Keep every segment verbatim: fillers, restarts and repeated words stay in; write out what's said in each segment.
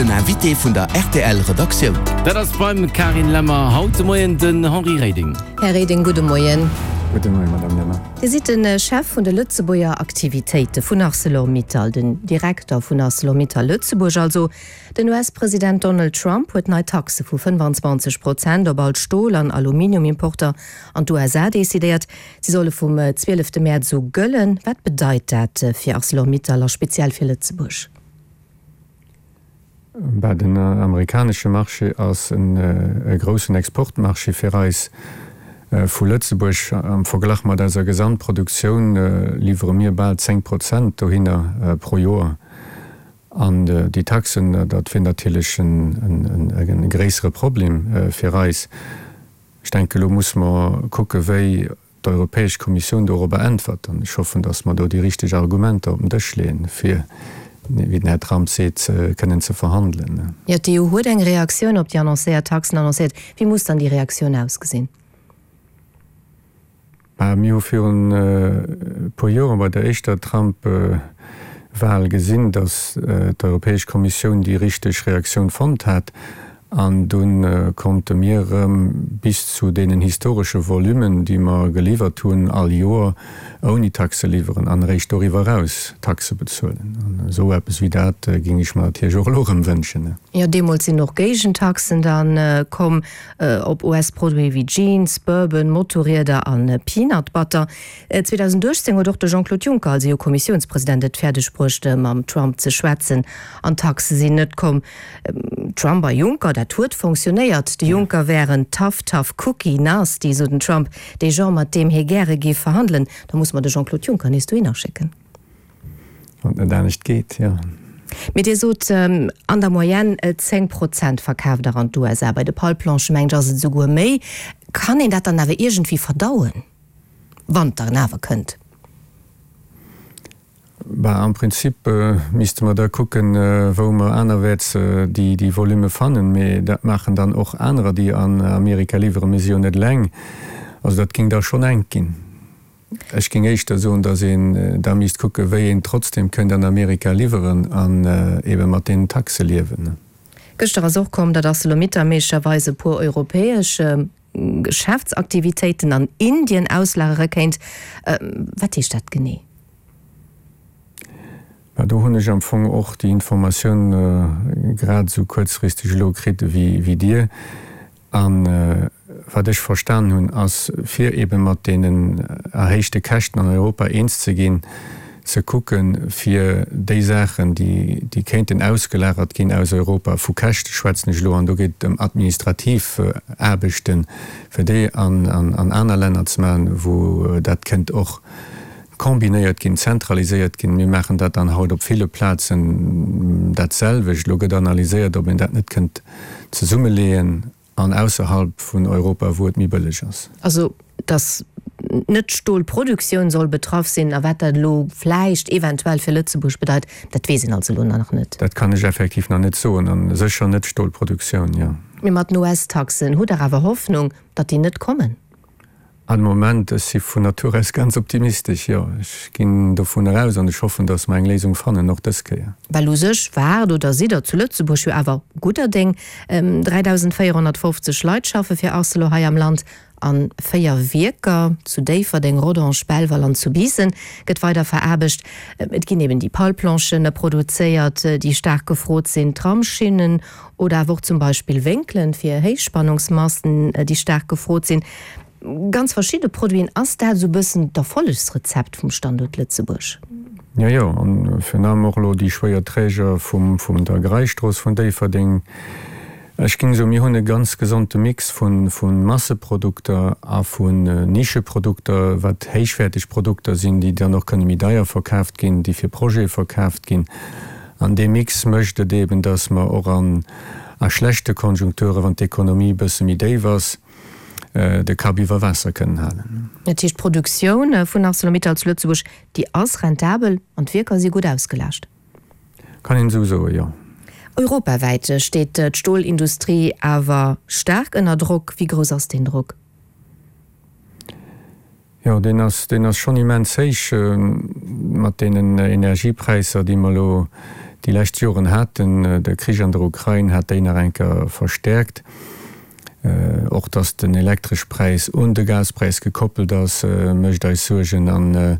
Den Invité vun der R T L Redaktioun. Dat ass beim Carine Lemmer haut de Moien den Henri Reding. Här Reding, gudde Moien. Gudde Moien, Madame Lemmer. Dir sidd de Chef vun de Lëtzebuerger Aktivitéite vun ArcelorMittal, den Direkter vun ArcelorMittal Lëtzebuerg also. Den U S-President Donald Trump huet nei Taxe vu fënnfanzwanzeg Prozent op all Stol- an Aluminiumimporter an d'U S A decidéiert. Si solle vum zwielefte Mäerz u gëllen. Wat bedeit dat fir ArcelorMittal a speziell fir Lëtzebuerg? Bah, den amerikanesche Marché ass e groussen Exportmarché fir eis vu Lëtzebuerg. Am Verglach mat eiser Gesamtproduktioun liwwere mir bal zéng Prozent dohinner pro Joer. An déi Taxen, dat wier natierlech e gréissere Problem fir eis. Ech denken, elo musse mer kucke wéi d'Europäesch Kommissioun dorobber äntwert, an ech hoffen, datt mer do déi richteg Argumenter op den Dësch leeën, fir, wéi den Här Trump seet, kënnen ze verhandelen. Jo, d'E U huet eng Reaktioun op déi annoncéiert Taxen annoncéiert. Wéi muss dann déi Reaktioun ausgesinn? Mir hu virun e puer Joren bei der éischter Trump-Wahl gesinn, datt d'Europäesch Kommissioun déi richteg Reaktioun fonnt hat, an dunn konnte mir erëm bis zu deenen historesche Volummen, déi mer geliwwert hunn all Joer, ouni Taxe liwweren an eréischt doriwwer eraus Taxe bezuelen. An esou eppes wéi dat géing ech mer natierlech och elo erëm wënschen. Jo, deemools sinn och Géigentaxen dann komm op U S-Produite wéi Jeans, Bourbon, Motorrieder an Peanut Butter. zweedausendachtzéng huet och de Jean-Claude Juncker als E U-Kommissiounspresident et fäerdeg bruecht, mam Trump ze schwätzen, an d'Taxe sinn net komm. Trump a Juncker, dat huet fonctionnéiert. De Juncker wär en tough, tough cookie, nasty, sou den Trump, dee Genre, mat deem hie gäre géif verhandelen. Da muss mer de Jean-Claude Juncker nees dohinner schécken. Wann et net anescht geet, jo. Mee Dir sot, an der Moyenne zéng Prozent verkaaft Der an d'U S A. Bei de Palplanchen, mengen ech, ass et esouguer méi. Kann een dat dann awer iergendwéi verdauen, wann et dann awer kënnt? Bah, am Prinzip misste mer da kucken, wou mer anerwäerts déi déi Volume fannen, mee dat maachen dann och anerer, déi an Amerika liwweren. Mir si jo net eleng. Also dat géing da schonn enk ginn. Ech géing éischter soen, datt een da misst kucken, wéi een trotzdem kënnt an Amerika liwweren an ebe mat deenen Taxe liewen. Gëschter ass och komm, datt ArcelorMittal méiglecherweis e puer europäesch Geschäftsaktivitéiten an Indien auslagere kéint. Wat heescht dat genee? Bah, do hunn ech am Fong och déi Informatioun grad esou kuerzfristeg elo kritt wéi wéi Dir. An wat ech verstan hunn, ass, fir ebe mat deenen erhéichte Käschten an Europa eens ze ginn, ze kucken, fir déi Saachen, déi déi kéinten ausgelagert ginn aus Europa, vu Käschte schwätzen ech elo, an do geet et ëm administrativ Aarbechten, fir déi an an aner Länner ze maachen, wou dat kënnt och kombinéiert ginn, zentraliséiert ginn. Mir maachen dat dann haut op ville Plazen dat selwecht. Elo gëtt analyséiert, ob een dat net kënnt zesummeleeën an ausserhalb vun Europa, wou et méi bëlleg ass. Also, datt net d'Stolproduktioun soll betraff sinn, a wat dat elo vläicht eventuell fir Lëtzebuerg bedeit, dat weess een also elo nach net. Dat kann ech effektiv nach net soen, a sécher net d'Stolproduktioun, jo. Mee mat den U S-Taxen, hutt Der awer Hoffnung, datt déi net kommen? Am Moment, ech si vun Natur aus ganz optimistesch, jo. Ech ginn dovun eraus an ech hoffen, datt mer eng Léisung fannen, och dës Kéier. Well u sech waart oder sidd Der zu Lëtzebuerg jo awer gudder Déng. dräidausendvéierhonnertfofzeg Leit schaffe fir Arcelor hei am Land a véier Wierker, zu Déifferdeng, Rodange, Belval an zu Biissen, gëtt weider veraarbecht. Et ginn eben déi Palplanchen produzéiert, déi staark gefrot sinn, Tramsschinnen oder awer och zum Beispill Wénkelen fir Héichspannungsmasten, déi staark gefrot sinn. Ganz verschidde Produiten. Ass dat esou e bëssen d'Erfollegsrezept vum Standuert Lëtzebuerg? Jo, jo, an virun allem och elo déi schwéier Träger vum, vum der Greisstrooss vun Déifferdeng. Ech géing soen, mir hunn e ganz gesonde Mix vu, vu Masseprodukter a vun Nischeprodukter, wat héichwäerteg Produkter sinn, déi dann och kënne méi deier verkaaft ginn, déi fir Projete verkaaft ginn. An dee Mix mécht et eeben, dass mer och an a schlechte Konjunkturen, wann d'Ekonomie e bësse méi déif ass, de Kapp iwwer Waasser kënnen halen. Dat heescht, d'Produktioun vun ArcelorMittal zu Lëtzebuerg, déi ass rentabel an d'Wierker si gutt ausgelaascht? Kann een esou soen, jo. Europawäit steet d'Stolindustrie awer staark ënner Drock. Wéi grouss ass deen Drock? Jo, deen ass, deen ass schonn immens héich mat deenen Energiepräisser, déi mer elo déi lescht Joren haten. De Krich an der Ukrain hat déi nach eng Kéier verstäerkt. Och datt den Elektreschpräis un de Gaspräis gekoppelt ass, mécht eis Suergen. An,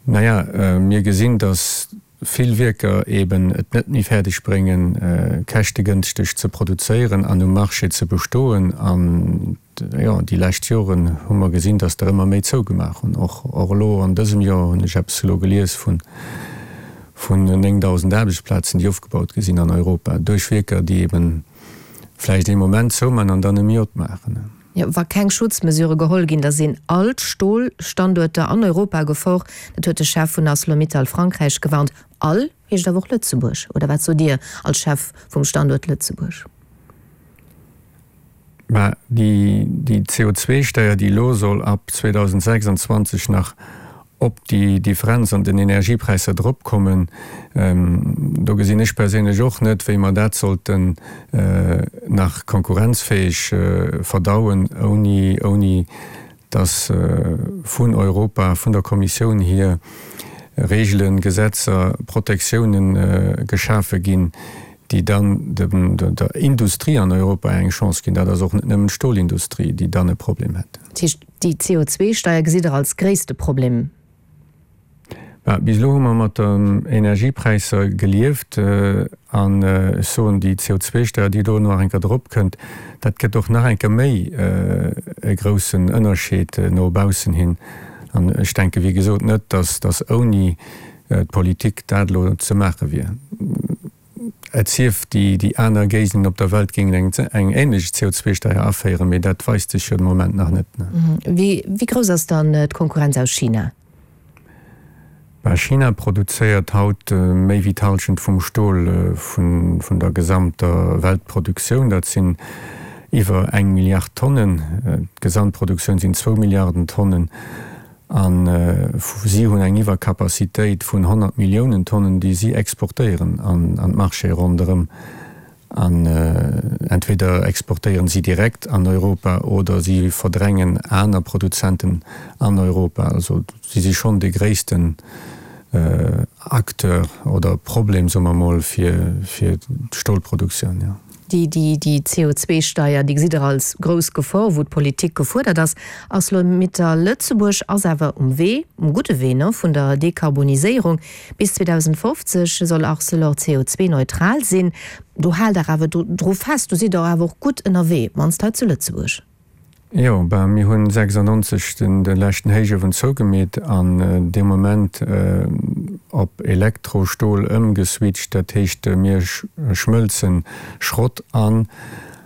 naja, mir gesinn, datt vill Wierker eben et net méi fäerdeg bréngen, käschtegënschteg ze produzéieren an um Marché ze bestoen. An, jo, déi lescht Joren hu mer gesinn, datt der ëmmer méi zougemaach hunn. Och elo an dësem Joer hunn ech eppes elo gelies vun vun néngdausend Aarbechtsplazen, déi ofgebaut gi sinn an Europa duerch Wierker, déi eben vläicht ee Moment zouman an dann erëm opmaachen. Jo, wa keng Schutzmesurë geholl ginn, da sinn all d'Stolstanduerter an Europa a Gefor. Dat huet de Chef vun Arcelor-Mittal Frankräich gewarnt. All heescht awer och Lëtzebuerg, oder wat sot Dir als Chef vum Standuert Lëtzebuerg? Mä déi C O zwei Steier, déi elo soll ab zweedausendsechsundzwanzeg nach op déi Differenz an den Energiepräisser drop kommen, do gesinn ech perséinlech och net, wéi mer dat sollten nach konkurrenzfähig verdauen, ouni, ouni dass vun Europa, vun der Kommissioun hier Regelen, Gesetzer, Protektiounen geschafe ginn, déi dann dem, der Industrie an Europa eng Chance ginn. Dat ass och net nëmmen d'Stolindustrie, déi dann e Problem hätt. Dat heescht, déi C O zwei Steier gesitt Der als gréisste Problem? Bah, bis elo hu mer mat den Energiepräisser gelieft, an ech soen, déi C O zwei Steier, déi do nach eng Kéier drop kënnt, dat gëtt och nach eng Kéier méi e groussen Ënnerscheed no baussen hin. An ech denke, wéi gesot, net, dass, dass ouni d'Politik dat elo ze maache wier. Et sief, déi, déi aner Géigenden op der Welt géingen eng, eng ähnlech C O zwei Steier aféieren, mee dat weist sech jo de Moment nach net. Wéi, wéi grouss ass dann d'Konkurrenz aus China? Bah, China produzéiert haut méi wéi d'Hallschent vum Stol vun, vun der gesamter Weltproduktioun. Dat sinn iwwer eng Milliard Tonnen. D'Gesamtproduktioun sinn zwou Milliarden Tonnen. An si hunn eng Iwwerkapazitéit vun honnert Milliounen Tonnen, déi si exportéieren an, an d'Marché ronderëm. An entweder exportéieren si direkt an Europa oder si verdrängen aner Produzenten an Europa. Also si si schonn de gréissten Acteur oder Problem, soe mer mol, fir, fir d'Stolproduktioun. Ja. Déi, déi, déi C O zwei Steier, déi gesitt Der als grouss Gefor, wou d'Politik gefuerdert ass. Arcelor-Mittal Lëtzebuerg ass awer um Wee, um gudde Wee, ne, vun der Dekarboniséierung. Bis zweedausendfofzeg soll Arcelor C O zwei neutral sinn. Do haalt Der awer dru, dru fest, do sidd Der awer och gutt ënnerwee, mannst hei zu Lëtzebuerg. Jo, bah, mir hunn sechsundneunzeg den, den leschten Héichuewen zougemeet an deem Moment op Elektrostol ëmgeswitcht. Dat heescht, mir schmëlzen Schrott an,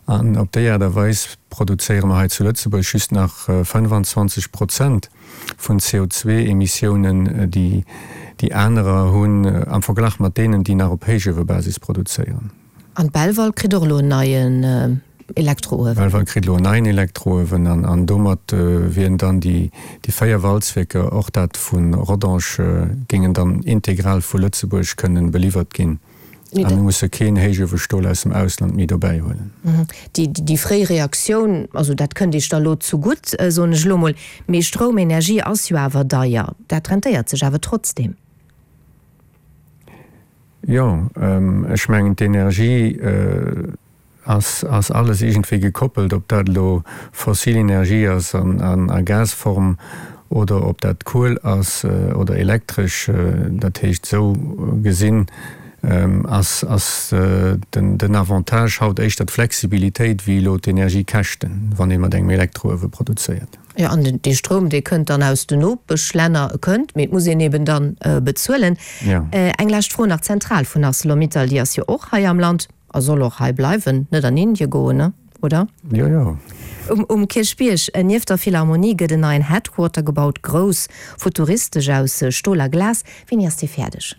an op déi Aart a Weis produzéiere mer hei zu Lëtzebuerg just nach fënnefanzwanzeg Prozent vun C O zwei Emissiounen, déi, déi anerer hunn am Verglach mat deenen, déi nach op Héichuewebasis produzéieren. An Belval kritt och elo en neien Elektroöwen. Belval kritt elo en neien Elektroöwen an, an domat wieren dann déi, déi véier Walzwierker, och dat vun Rodange, géingen dann integral vu Lëtzebuerg kënnen beliwwert ginn. Nee, An dat mir musse keen Héichuewestol aus dem Ausland méi dobäi huelen. Mhm. Déi, déi, déi fréi Reaktioun, also dat kënnt Iech da lo zugutt, soen ech elo mol, mee Stroumenergie ass jo awer deier. Dat rentéiert sech awer trotzdem. Jo, ech mengen, d'Energie ass, ass alles irgendwie gekoppelt, ob dat elo fossil Energie ass an, an, a Gasform oder ob dat Kohl ass oder elektresch. Dat heescht, sou gesinn, ass, ass den, den Avantage haut éischter d'Flexibilitéit wéi elo d'Energiekäschten, wann ee mat engem Elektroöwe produzéiert. Ja, an den, dee Stroum, dee kënnt dann aus den Nopeschlänner, kënnt, mee et muss een eben dann bezuelen. Ja. Eng lescht Fro nach, d'Zentral vun ArcelorMittal, déi ass jo och hei am Land a soll och hei bleiwen, net an Indien goen, ne? Oder? Jo, jo. Um, um Kierchbierg, nieft der Philharmonie, gëtt en neien Headquarter gebaut, grouss, futuristesch aus Stol a Glas. Wéini ass dee fäerdeg?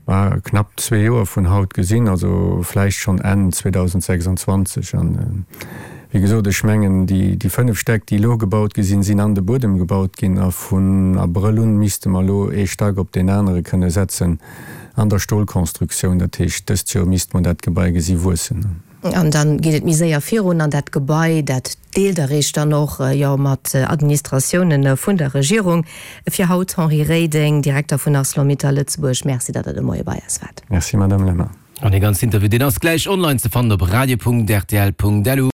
War knapp zwee Joer vun haut gesinn, also vläicht schonn Enn zweedausendsechsundzwanzeg. An wéi gesot, ech mengen, déi, déi fënnef Stäck, déi elo gebaut gi sinn, sinn an de Buedem gebaut ginn a vun Abrëll un misste mer elo ee Stack op deen anere kënne setzen. an der Stolkonstruktioun. Dat heescht, dëst Joer misste mer dat Gebai gesi wuessen. An dann geet et méi séier virun an dat Gebai, dat deelt Der Iech dann och jo mat Administratiounen vun der Regierung. Fir haut, Henri Reding, Direkter vun Arcelor-Mittal Lëtzebuerg, Merci, datt Der de Moie bei eis waart. Merci, Madame Lemmer. An dee ganzen Interview, deen ass gläich online ze fannen op radio.rtl.lu.